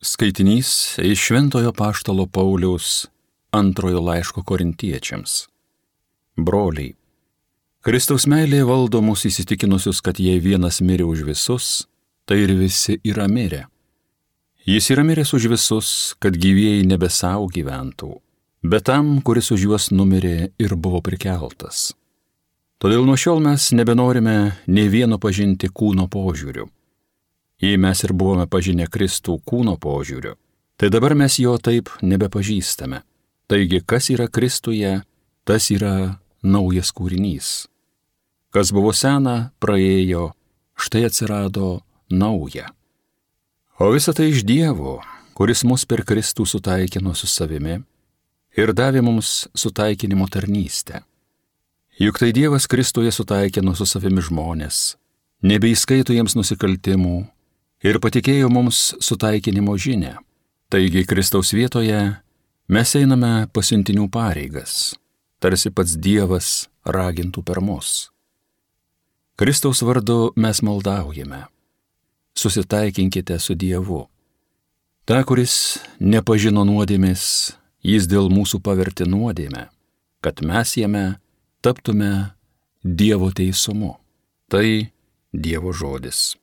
Skaitinys iš Šventojo Apaštalo Pauliaus antrojo laiško Korintiečiams. Broliai, Kristaus meilė valdo mus įsitikinusius, kad jei vienas mirė už visus, tai ir visi yra mirę. Jis yra miręs už visus, kad gyvieji nebe savo gyventų, bet tam, kuris už juos numirė ir buvo prikeltas. Todėl nuo šiol mes nebenorime nei vieno pažinti kūno požiūriu. Jei mes ir buvome pažinę Kristų kūno požiūriu, tai dabar mes jo taip nebepažįstame. Taigi, kas yra Kristuje, tas yra naujas kūrinys. Kas buvo sena, praėjo, štai atsirado nauja. O visa tai iš Dievo, kuris mus per Kristų sutaikino su savimi ir davė mums sutaikinimo tarnystę. Juk tai Dievas Kristuje sutaikino su savimi žmonės, nebeįskaito jiems nusikaltimų ir patikėjo mums sutaikinimo žinią. Taigi Kristaus vietoje mes einame pasiuntinių pareigas, tarsi pats Dievas ragintų per mus. Kristaus vardu mes maldaujame. Susitaikinkite su Dievu. Ta, kuris nepažino nuodėmės, jis dėl mūsų pavertė nuodėmę, kad mes jame taptume Dievo teisumu. Tai Dievo žodis.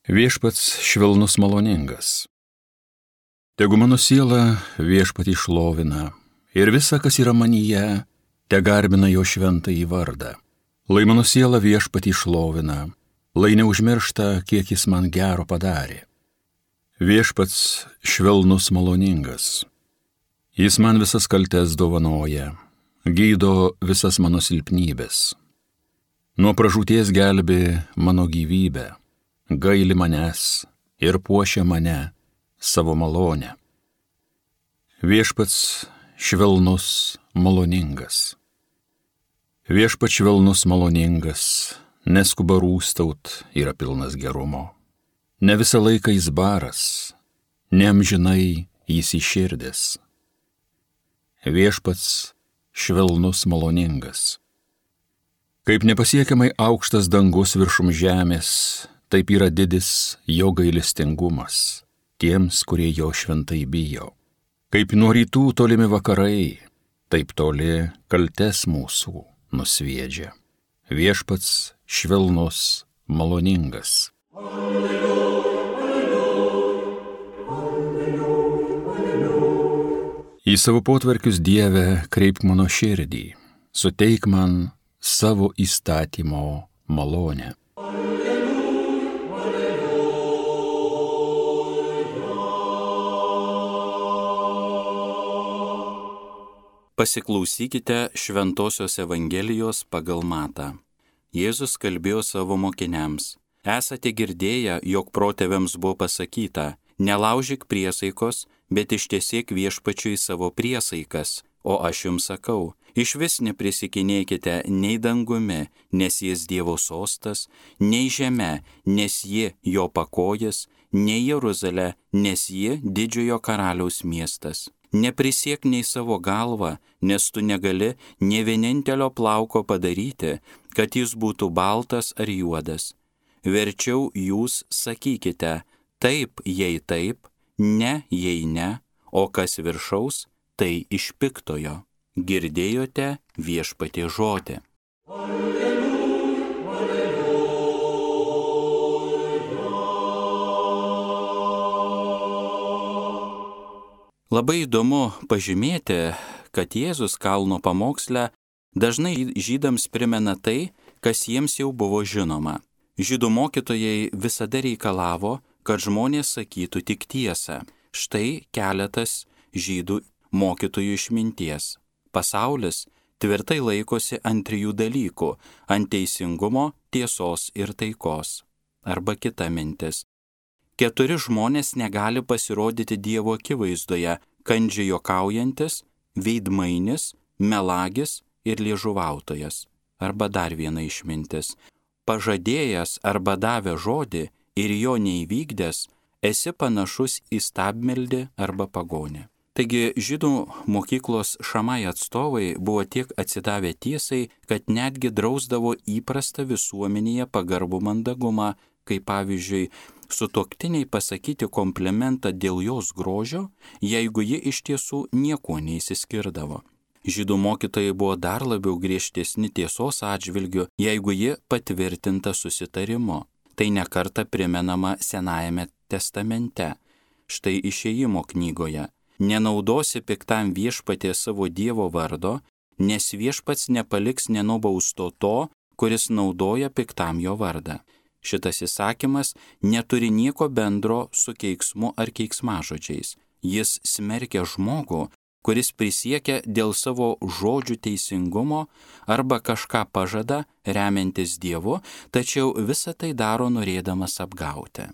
Viešpats švelnus maloningas. Tegu mano siela Viešpatį šlovina ir visa, kas yra manyje, te garbina jo šventąjį vardą. Lai mano siela Viešpatį šlovina, lai neužmiršta, kiek jis man gero padarė. Viešpats švelnus maloningas. Jis man visas kaltes dovanoja, gydo visas mano silpnybės. Nuo pražūties gelbė mano gyvybę, gaili manęs ir puošia mane savo malonę. Viešpats švelnus maloningas. Viešpats švelnus maloningas, neskuba rūstaut, yra pilnas gerumo. Ne visą laiką jis baras, neamžinai jis įširdęs. Viešpats švelnus maloningas. Kaip nepasiekiamai aukštas dangus viršum žemės, taip yra didis jo gailestingumas tiems, kurie jo šventai bijo. Kaip nuo rytų tolimi vakarai, taip toli kaltes mūsų nusviedžia. Viešpats švelnus maloningas. Į savo potvarkius, Dieve, kreipk mano širdį, suteik man savo įstatymo malonę. Pasiklausykite Šventosios Evangelijos pagal Matą. Jėzus kalbėjo savo mokiniams. Esate girdėję, jog protėviams buvo pasakyta, nelaužyk priesaikos, bet ištiesėk Viešpačiui savo priesaikas. O aš jums sakau, išvis neprisikinėkite nei dangumi, nes jis Dievo sostas, nei žeme, nes ji jo pakojas, nei Jeruzalė, nes ji didžiojo karaliaus miestas. Neprisiek nei savo galvą, nes tu negali nė vienintelio plauko padaryti, kad jis būtų baltas ar juodas. Verčiau jūs sakykite, taip, jei taip, ne, jei ne, o kas viršaus, tai iš piktojo. Girdėjote Viešpaties žodį. Labai įdomu pažymėti, kad Jėzus kalno pamoksle dažnai žydams primena tai, kas jiems jau buvo žinoma. Žydų mokytojai visada reikalavo, kad žmonės sakytų tik tiesą. Štai keletas žydų mokytojų išminties. Pasaulis tvirtai laikosi ant trijų dalykų – ant teisingumo, tiesos ir taikos. Arba kita mintis. 4 žmonės negali pasirodyti Dievo akivaizdoje – kandžiai juokaujantis, veidmainis, melagis ir liežuvautojas. Arba dar viena išmintis. Pažadėjęs arba davę žodį ir jo neįvykdęs, esi panašus į stabmeldį arba pagonį. Taigi žydų mokyklos šamai atstovai buvo tiek atsidavę tiesai, kad netgi drausdavo įprastą visuomenėje pagarbų mandagumą, kaip pavyzdžiui, sutuoktiniai pasakyti komplimentą dėl jos grožio, jeigu ji iš tiesų niekuo neįsiskirdavo. Žydų mokytojai buvo dar labiau griežtesni tiesos atžvilgiu, jeigu ji patvirtinta susitarimu. Tai nekarta primenama Senajame testamente. Štai Išėjimo knygoje. Nenaudosi piktam viešpatie savo Dievo vardo, nes viešpats nepaliks nenubausto to, kuris naudoja piktam jo vardą. Šitas įsakymas neturi nieko bendro su keiksmu ar keiksmažodžiais. Jis smerkia žmogų, kuris prisiekia dėl savo žodžių teisingumo arba kažką pažada, remiantis Dievu, tačiau visą tai daro norėdamas apgauti.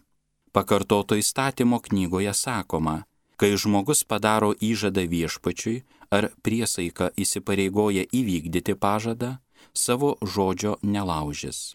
Pakartoto įstatymo knygoje sakoma, kai žmogus padaro įžadą viešpačiui ar priesaiką įsipareigoja įvykdyti pažadą, savo žodžio nelaužis.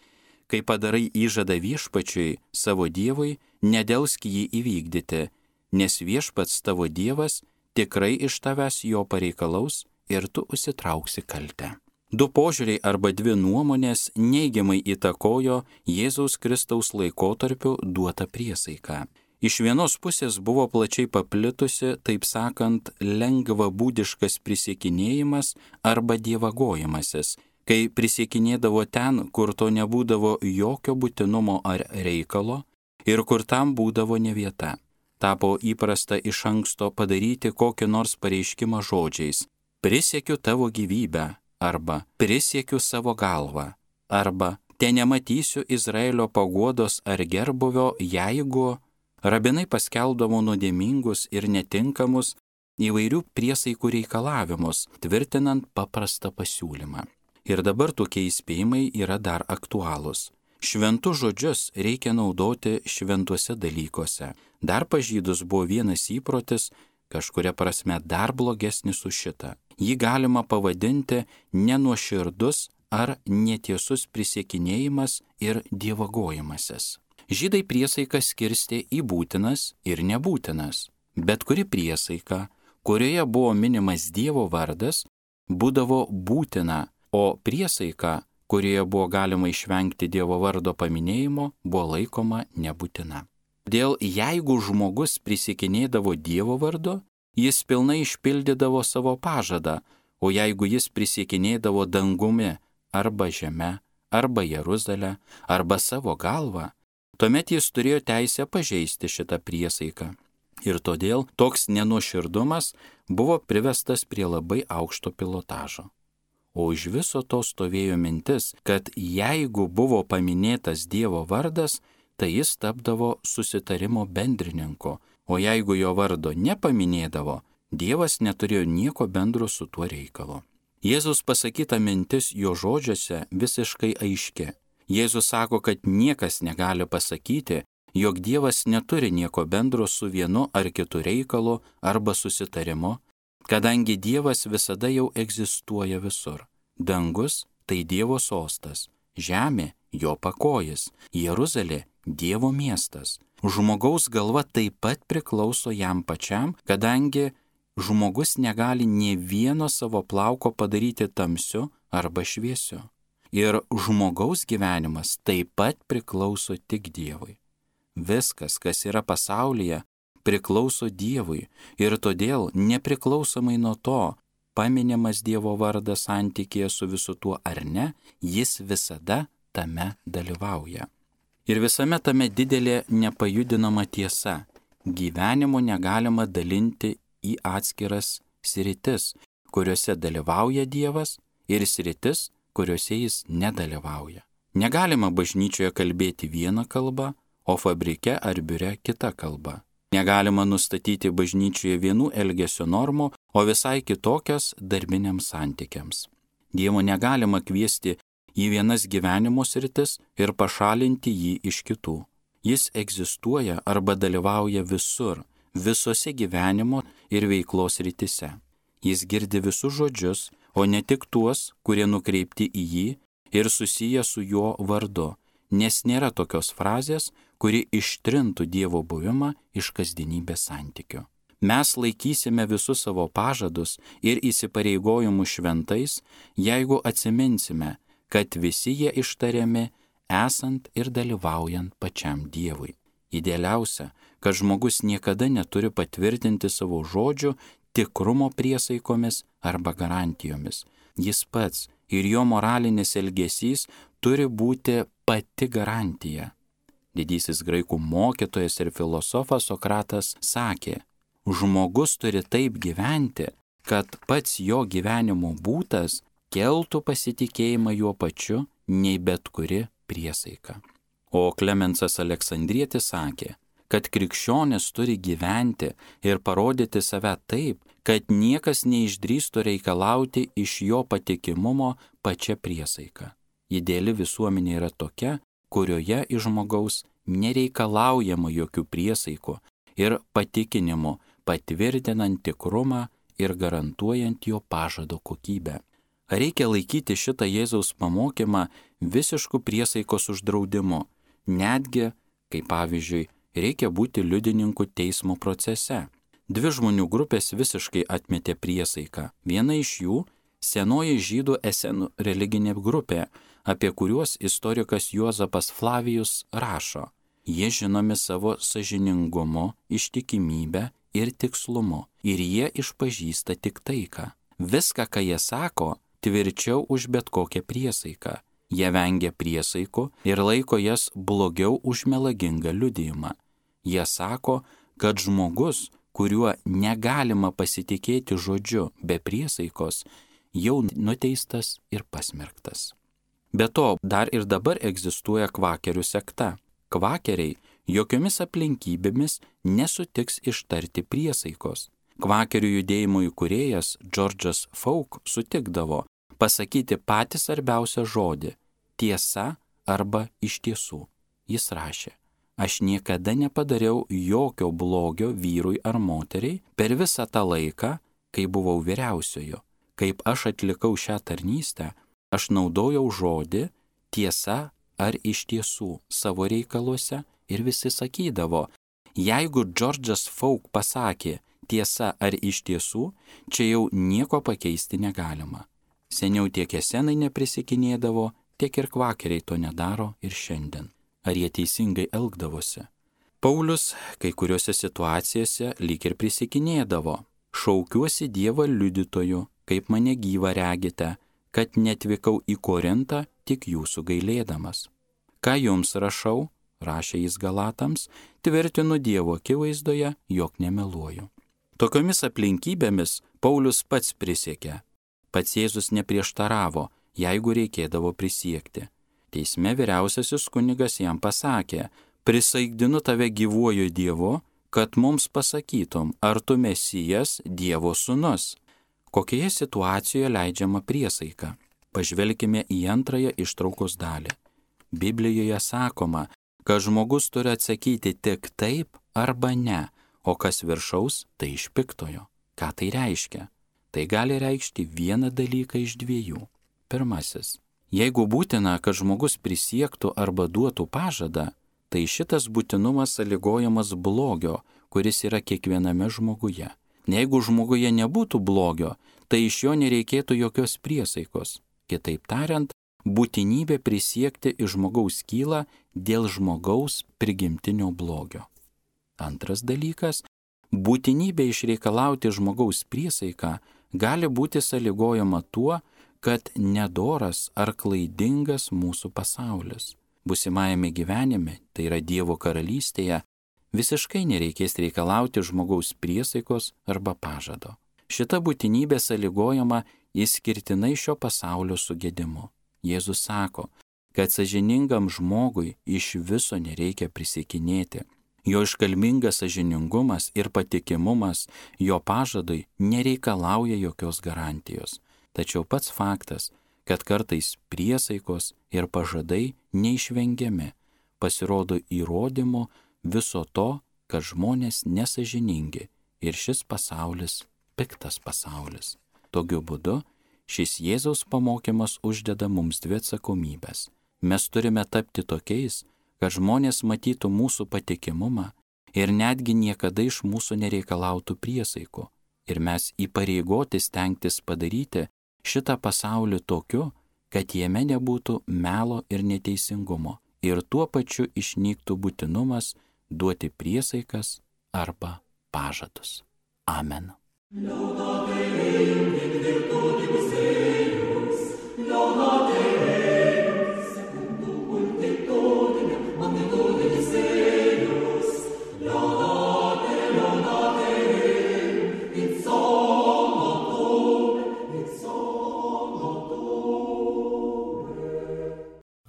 Kai padarai įžadą viešpačiui, savo Dievui, nedelsk jį įvykdyti, nes viešpats tavo Dievas tikrai iš tavęs jo pareikalaus ir tu užsitrauksi kaltę. Du požiūriai arba dvi nuomonės neigiamai įtakojo Jėzaus Kristaus laikotarpiu duotą priesaiką. Iš vienos pusės buvo plačiai paplitusi, taip sakant, lengvabūdiškas prisiekinėjimas arba dievagojimasis, kai prisiekinėdavo ten, kur to nebūdavo jokio būtinumo ar reikalo ir kur tam būdavo ne vieta. Tapo įprasta iš anksto padaryti kokį nors pareiškimą žodžiais: prisiekiu tavo gyvybę, arba prisiekiu savo galvą, arba te nematysiu Izraelio paguodos ar gerbuvio, jeigu. Rabinai paskelbdavo nuodėmingus ir netinkamus įvairių priesaikų reikalavimus, tvirtinant paprastą pasiūlymą. Ir dabar tokie įspėjimai yra dar aktualūs. Šventus žodžius reikia naudoti šventuose dalykuose. Dar pas žydus buvo vienas įprotis, kažkuria prasme dar blogesnis už šitą. Jį galima pavadinti nenuoširdus ar netiesus prisiekinėjimas ir dievagojimasis. Žydai priesaiką skirstė į būtinas ir nebūtinas. Bet kuri priesaika, kurioje buvo minimas Dievo vardas, būdavo būtina, o priesaika, kurioje buvo galima išvengti Dievo vardo paminėjimo, buvo laikoma nebūtina. Dėl jeigu žmogus prisiekinėdavo Dievo vardu, jis pilnai išpildydavo savo pažadą, o jeigu jis prisiekinėdavo dangumi arba žeme, arba Jeruzalę, arba savo galvą, tuomet jis turėjo teisę pažeisti šitą priesaiką. Ir todėl toks nenuoširdumas buvo privestas prie labai aukšto pilotažo. O iš viso to stovėjo mintis, kad jeigu buvo paminėtas Dievo vardas, tai jis tapdavo susitarimo bendrininku, o jeigu jo vardo nepaminėdavo, Dievas neturėjo nieko bendro su tuo reikalu. Jėzus pasakyta mintis jo žodžiuose visiškai aiški. Jėzus sako, kad niekas negali pasakyti, jog Dievas neturi nieko bendro su vienu ar kitu reikalu arba susitarimu, kadangi Dievas visada jau egzistuoja visur. Dangus tai Dievo sostas, žemė jo pakojis, Jeruzalė Dievo miestas. Žmogaus galva taip pat priklauso jam pačiam, kadangi žmogus negali nė vieno savo plauko padaryti tamsiu arba šviesiu. Ir žmogaus gyvenimas taip pat priklauso tik Dievui. Viskas, kas yra pasaulyje, priklauso Dievui ir todėl nepriklausomai nuo to, paminimas Dievo vardas santykėje su visu tuo ar ne, jis visada tame dalyvauja. Ir visame tame didelė nepajudinama tiesa. Gyvenimo negalima dalinti į atskiras sritis, kuriuose dalyvauja Dievas, ir sritis, kuriuose jis nedalyvauja. Negalima bažnyčioje kalbėti vieną kalbą, o fabrike ar biure kitą kalbą. Negalima nustatyti bažnyčioje vienų elgesio normų, o visai kitokias darbiniams santykiams. Dievo negalima kviesti į vienas gyvenimo sritis ir pašalinti jį iš kitų. Jis egzistuoja arba dalyvauja visur, visose gyvenimo ir veiklos srityse. Jis girdi visus žodžius, o ne tik tuos, kurie nukreipti į jį, ir susiję su jo vardu, nes nėra tokios frazės, kuri ištrintų Dievo buvimą iš kasdienybės santykių. Mes laikysime visus savo pažadus ir įsipareigojimus šventais, jeigu atsiminsime, kad visi jie ištariami esant ir dalyvaujant pačiam Dievui. Idealiausia, kad žmogus niekada neturi patvirtinti savo žodžių tikrumo priesaikomis arba garantijomis. Jis pats ir jo moralinis elgesys turi būti pati garantija. Didysis graikų mokytojas ir filosofas Sokratas sakė, žmogus turi taip gyventi, kad pats jo gyvenimo būtas keltų pasitikėjimą juo pačiu nei bet kuri priesaika. O Klemensas Aleksandrietis sakė, kad krikščionis turi gyventi ir parodyti save taip, kad niekas neišdrįstų reikalauti iš jo patikimumo pačia priesaika. Ideali visuomenė yra tokia, kurioje iš žmogaus nereikalaujama jokių priesaikų ir patikinimų, patvirtinant tikrumą ir garantuojant jo pažado kokybę. Reikia laikyti šitą Jėzaus pamokymą visiškų priesaikos uždraudimu, netgi, kaip pavyzdžiui, reikia būti liudininku teismo procese. Dvi žmonių grupės visiškai atmetė priesaiką. Viena iš jų – senoji žydų esenų religinė grupė, apie kuriuos istorikas Juozapas Flavijus rašo. Jie žinomi savo sąžiningumu, ištikimybę ir tikslumu, ir jie išpažįsta tik taiką. Viską, ką jie sako, tvirčiau už bet kokią priesaiką. Jie vengia priesaikų ir laiko jas blogiau už melagingą liudijimą. Jie sako, kad žmogus, kuriuo negalima pasitikėti žodžiu be priesaikos, jau nuteistas ir pasmerktas. Be to, dar ir dabar egzistuoja kvakerių sekta. Kvakeriai jokiomis aplinkybėmis nesutiks ištarti priesaikos. Kvakerių judėjimo įkūrėjas George'as Fauk sutikdavo pasakyti patį svarbiausią žodį – tiesa arba iš tiesų. Jis rašė, aš niekada nepadariau jokio blogio vyrui ar moteriai per visą tą laiką, kai buvau vyriausiojo. Kaip aš atlikau šią tarnystę, aš naudojau žodį tiesa ar iš tiesų savo reikaluose ir visi sakydavo, jeigu George'as Fauk pasakė tiesa ar iš tiesų, čia jau nieko pakeisti negalima. Seniau tiek esenai neprisikinėdavo, tiek ir kvakeriai to nedaro ir šiandien. Ar jie teisingai elgdavosi? Paulius kai kuriuose situacijose lyg ir prisikinėdavo. Šaukiuosi Dievą liudytoju, kaip mane gyvą regite, kad netvykau į Korintą tik jūsų gailėdamas. Ką jums rašau, rašė jis Galatams, tvirtinu Dievo akivaizdoje, jog nemeluoju. Tokiomis aplinkybėmis Paulius pats prisiekė. Pats Jėzus neprieštaravo, jeigu reikėdavo prisiekti. Teisme vyriausiasis kunigas jam pasakė, prisaikdinu tave gyvuoju Dievu, kad mums pasakytum, ar tu Mesijas, Dievo sūnus. Kokioje situacijoje leidžiama priesaika? Pažvelkime į antrąją ištraukos dalį. Biblijoje sakoma, kad žmogus turi atsakyti tik taip arba ne, o kas viršaus, tai iš piktojo. Ką tai reiškia? Tai gali reikšti vieną dalyką iš dviejų. Pirmasis. Jeigu būtina, kad žmogus prisiektų arba duotų pažadą, tai šitas būtinumas sąlygojamas blogio, kuris yra kiekviename žmoguje. Jeigu žmoguje nebūtų blogio, tai iš jo nereikėtų jokios priesaikos. Kitaip tariant, būtinybė prisiekti iš žmogaus kyla dėl žmogaus prigimtinio blogio. Antras dalykas, būtinybė išreikalauti žmogaus priesaiką gali būti sąlygojama tuo, kad nedoras ar klaidingas mūsų pasaulis. Būsimajame gyvenime, tai yra Dievo karalystėje, visiškai nereikės reikalauti žmogaus priesaikos arba pažado. Šita būtinybė sąlygojama išskirtinai šio pasaulio sugedimu. Jėzus sako, kad sąžiningam žmogui iš viso nereikia prisiekinėti. Jo iškalbingas sąžiningumas ir patikimumas jo pažadui nereikalauja jokios garantijos. Tačiau pats faktas, kad kartais priesaikos ir pažadai neišvengiami, pasirodo įrodymu viso to, kad žmonės nesąžiningi ir šis pasaulis piktas pasaulis. Tokiu būdu Šis Jėzaus pamokymas uždeda mums dvi atsakomybės. Mes turime tapti tokiais, kad žmonės matytų mūsų patikimumą ir netgi niekada iš mūsų nereikalautų priesaikų. Ir mes įpareigoti stengtis padaryti šitą pasaulį tokiu, kad jame nebūtų melo ir neteisingumo. Ir tuo pačiu išnyktų būtinumas duoti priesaikas arba pažadus. Amen.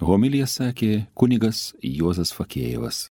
Homiliją sakė kunigas Juozas Fakėjevas.